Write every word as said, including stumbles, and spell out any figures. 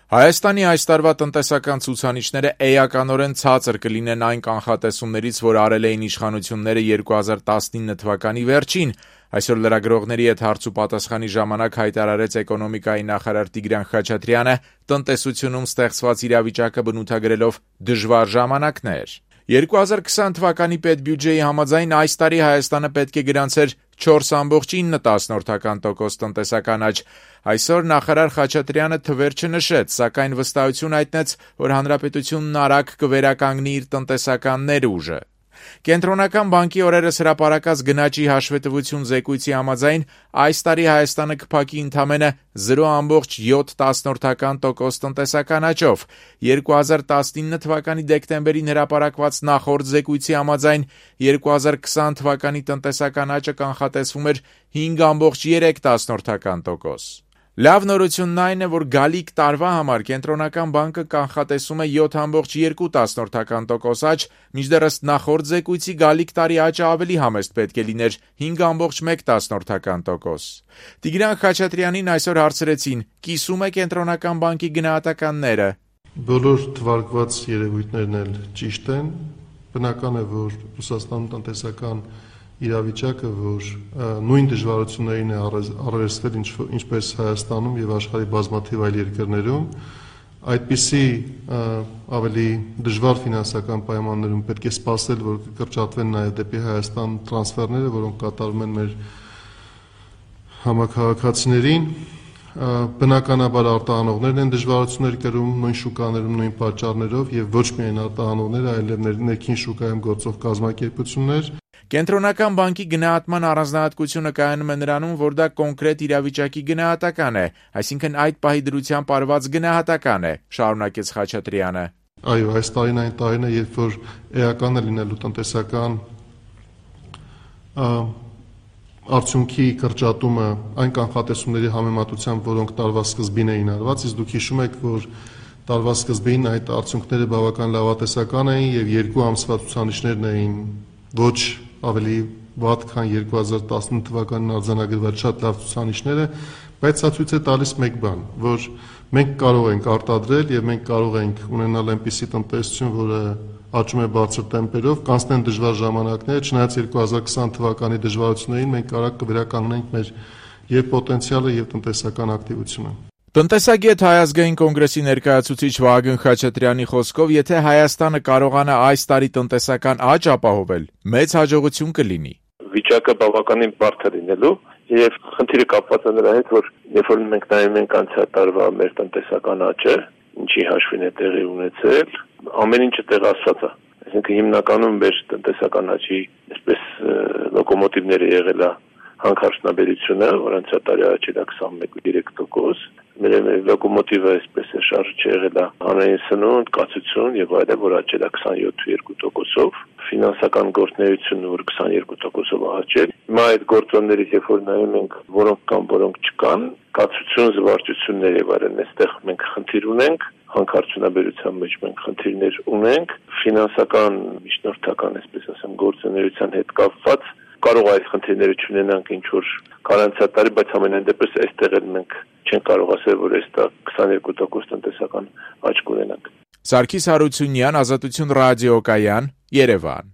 Հայաստանի այս տարվա տնտեսական ցուցանիշները էականորեն ցածր կլինեն այն կանխատեսումներից, որ արել էին իշխանությունները երկու հազար տասնինը թվականի վերջին. Այսօր լրագրողների հետ հարց ու պատասխանի ժամանակ հայտարարեց էկոնոմիկայի նախարար Տիգրան Խաչատրյանը, տնտեսությունում ստեղծված իրավիճակը բնութագրելով դժվար ժամանակներ։ երկու հազար քսան թվականի պետբյուջեի համաձայն այս տարի Հայաստանը պետք է գրանցեր չորս կoma ինը տոկոս տնտեսական աճ։ Այսօր նախարար Խաչատրյանը թվեր չնշեց, սակայն վստահություն հայտնեց, որ հանրապետությունն արագ կվերականգնի իր տնտեսական ներուժը։ Կենտրոնական բանկի օրերս հրապարակած գնաճի հաշվետվություն զեկույցի համաձայն այս տարի Հայաստանը կփակի ընդամենը զիրո կoma յոթ տոկոս տնտեսական աճով։ երկու հազար տասնինը թվականի դեկտեմբերին հրապարակված նախորդ զեկույցի համաձայն երկու հազար քսան թվականի տնտեսական աճը կանխատեսվում էր հինգ կoma երեք տոկոս։ Լավ նորությունն այն է, որ գալիք տարվա համար Կենտրոնական բանկը կանխատեսում է յոթ կoma երկու տոկոս աճ, մինչդեռ ըստ նախորդ զեկույցի գալիք տարի աճը ավելի համեստ պետք է լիներ հինգ կoma մեկ տոկոս։ Տիգրան Խաչատրյանին այսօր հարցրեցին՝ կիսում է Կենտրոնական բանկի գնահատականները։ Բոլոր թվարկված երևույթներն էլ ճիշտ են, բնական է, որ Ռուսաստանում տնտեսական իրավիճակը, որ նույն դժվարություններին է առերեսվել ինչպես Հայաստանում եւ աշխարհի բազմաթիվ այլ երկրներում, այդպիսի ավելի դժվար ֆինանսական պայմաններում պետք է սպասել, որ կկրճատվեն նաեւ դեպի Հայաստան տրանսֆերները, որոնք կատարվում են մեր համաքաղաքացիներին, բնականաբար արտահանողներն են դժվարություններ կրում նույն շուկաներում, նույն պատճառներով եւ ոչ միայն արտահանողները, այլև ներքին շուկայում գործող կազմակերպություններ։ Կենտրոնական բանկի գնահատման առանձնահատկությունը կայանում է նրանում, որ դա կոնկրետ իրավիճակի գնահատական է, այսինքն այդ պահի դրությամբ արված գնահատական է, շարունակեց Խաչատրյանը։ Այո, այս տարին այն տարին է, երբ որ էական է լինելու տնտեսական արդյունքի կրճատումը այն կանխատեսումների համեմատությամբ, որոնք տարվա սկզբին էին արված, իսկ դուք հիշում եք, որ տարվա սկզբին այդ արդյունքները բավական լավատեսական էին եւ երկու ամսվա ցուցանիշներն էին ոչ ավելի վատ, քան երկու հազար տասնինը թվականին արձանագրված շատ լավ ցուցանիշները, բայց սա ցույց է տալիս մեկ բան, որ մենք կարող ենք արտադրել եւ մենք կարող ենք ունենալ այնպիսի տնտեսություն, որը աճում է բարձր տեմպերով, կանցնեն դժվար ժամանակներ, չնայած երկու հազար քսան թվականի դժվարություններին մենք արագ կվերականգնենք մեր եւ պոտենցիալը եւ տնտեսական ակտիվությունը։ Տնտեսագետ Հայ ազգային կոնգրեսի ներկայացուցիչ Վահագն Խաչատրյանի խոսքով, եթե Հայաստանը կարողանա այս տարի տնտեսական աճ ապահովել, մեծ հաջողություն կլինի։ Վիճակը բավականին բարդ է լինելու եւ խնդիրը կապված է նրա հետ, որ երբ որ մենք նայում ենք անցյալ տարվա մեր տնտեսական աճը, ինչի հաշվին է տեղի ունեցել, ամեն ինչը տեղասված է։ Այսինքն հիմնականում մեր տնտեսական աճի այսպես լոկոմոտիվները եղել է հանքարդյունաբերությունը, որ անցյալ տարի աճել է քսանմեկ կoma երեք տոկոս, մեր լոկոմոտիվը այսպես է շարժիչը եղել է հանրային սնունդ, կացություն եւ այլն, որ աճել է քսանյոթ կoma երկու տոկոսով, ֆինանսական գործունեությունը, որ քսաներկու տոկոսով աճել։ Հիմա այդ գործոններից երբ որ նայում ենք, որոնք կան, որոնք չկան, կացություն, զվարճություններ եւ այլն, այստեղ մենք խնդիր ունենք, հանքարդյունաբերության մեջ մենք խնդիրներ ունենք, ֆինանսական, միջնորդական, այսպես ասեմ, գործունեության հետ կապված կարող այս խնդիրները չունենանք ինչ որ կարանցյալ տարի, բայց ամենայն դեպս այստեղ էլ մենք չենք կարող ասել, որ այս տա քսաներկու տոկոս տնտեսական աճ կունենանք։ Սարգիս Հարությունյան, Ազատություն ռադիոկայան, Երևան։